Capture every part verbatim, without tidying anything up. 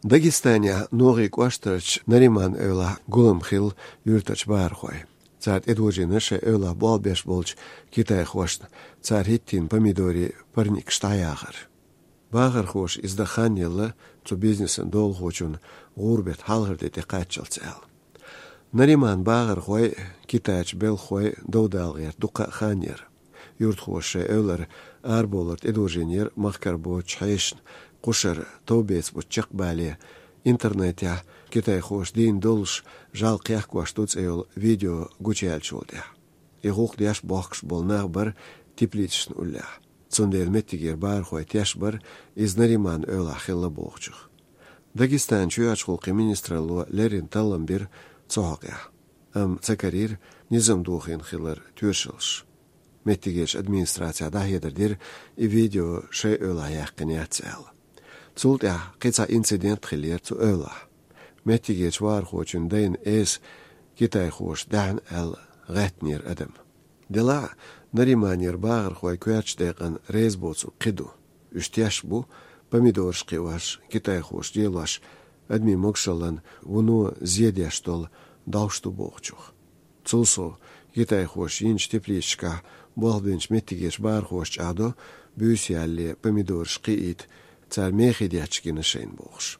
Дагестанехь Ногӏи кӏоштарчу Нариман-Эвлахь гулам хилла юьртарчу бахархойн. Цара тӏедожийна шайн эвлахь болх беш болчу китайхошна цара хӏиттийна помидорийн парникаш дӏаяхар. Бахархоша иза дан хан елла цу бизнесан долахочунна гӏуран беттан хьалхара де тӏекхаччалц аьлла. Нариман бахархой, китайчу белхахой дов дала гӏерта дуккха а хан яра. Юьртахоша шайн эвлара арабовлар тӏедожийнера махкара боцучу хьешана, кхушара товбеца буц чекхбале, интернетехь китайхоша дийна долуш, жӏаьла кхехкош ду цӏе йолу видео гучуяьллачул тӏаьхьа. И гӏуллакх деш бохкуш болу нах бара теплицашна уллехь. Цундела меттигера бахархой теш бара иза Нариман-Эвлахь хилла бохучух. Дагестанан чоьхьарчу гӏуллакхийн министралло леррина таллам бира цу хьокъехь. Амма ца карийра низам дохийна хилар тоьшаллаш. Меттигерчу администрацехь дӏахьедар дира, и видео шайн эвлахь яьккхина яц аьлла. Цул тӏаьхьа кхин цхьа инцидент хиллера цу эвлахь. Меттигерчу вахархочун дайна эса китайхоша даьхьна аьлла гӏаьттинера адам. Делахь а, Нариманера бахархой коьртачу декъана реза боцург кхин ду. Уьш теш бу, помидораш кхиош, китайхоша лелош, адамийн могушаллина вуно зе деш долу дӏовш ду бохучух. Цул сов, китайхоша йинчу теплицашкахь болх бинчу меттигерчу бахархоша чӏагӏдо буьйса ялале помидораш кхиийта, цара мехий детташ гина шайна бохуш.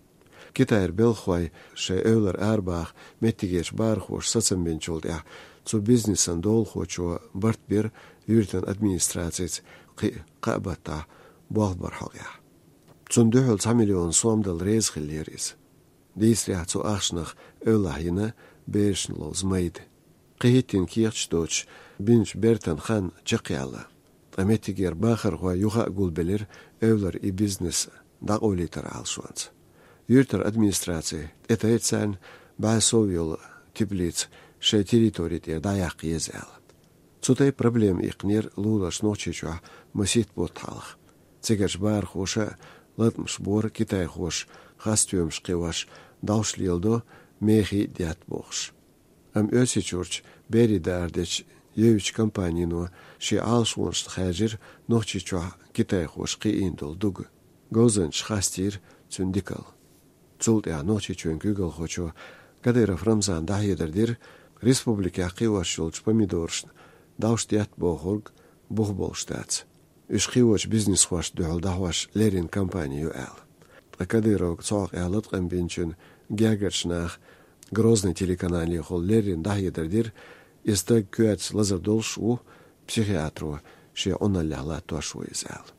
Китайра белхахой шайн эвлара арабаха меттигерчу бахархоша сацам бинчул тӏаьхьа цу бизнесан долахочо барт бира юьртан администрацица кхин а кхаа баттахь болх бар хьокъехь. Цунна дуьхьал цхьа миллион сом дала реза хиллера иза. Дийцарехь, цу ахчанах эвлахь йина берашна ловза майда. Кхин хӏиттийна кехаташ доцуш бинчу бертан хан чекхъяьлла. Ткъа меттигера бахархой юха а гулбелира эвлара и бизнес дӏакъовлийтаран Ӏалашонца. Юьртара администраци тӏетайра царна бӏе сов йолу теплица шайн территори тӏера дӏаяккха еза аьлла. Цу тайпа проблема иккхинера луларчу Нохчийчохь масийтта бутт хьалха. Цигарчу бахархоша латкъамаш бора китайхоша хасстоьмаш кхиош, дӏовш леладо, мехий а детта бохуш. Амма Оьрсийчуьрчу берийн дара дечу Евича компанино шен Ӏалашонашна хаьржира Нохчийчохь китайхоша кхиийна долу дуга. Говзанчаша хастийра цуьнан дикалла. Цул тӀаьхьа Нохчийчоьнан куьйгалхочо Кадыров Рамзана дӀахьедар дира, республикехь кхиош йолчу помидорашна дӀовш детта бохург бух болуш дац. Уьш кхиочу бизнесхошна дуьхьал дӀахьош леррина компани ю аьлла. Ткъа Кадыровга цу хьокъехь латкъам бинчун гергарчу наха Грозный телеканалехула леррина дӀахьедар дира, и стаг коьртаца лазар долуш ву, психиатро шен Ӏуналлехь латтош ву иза аьлла.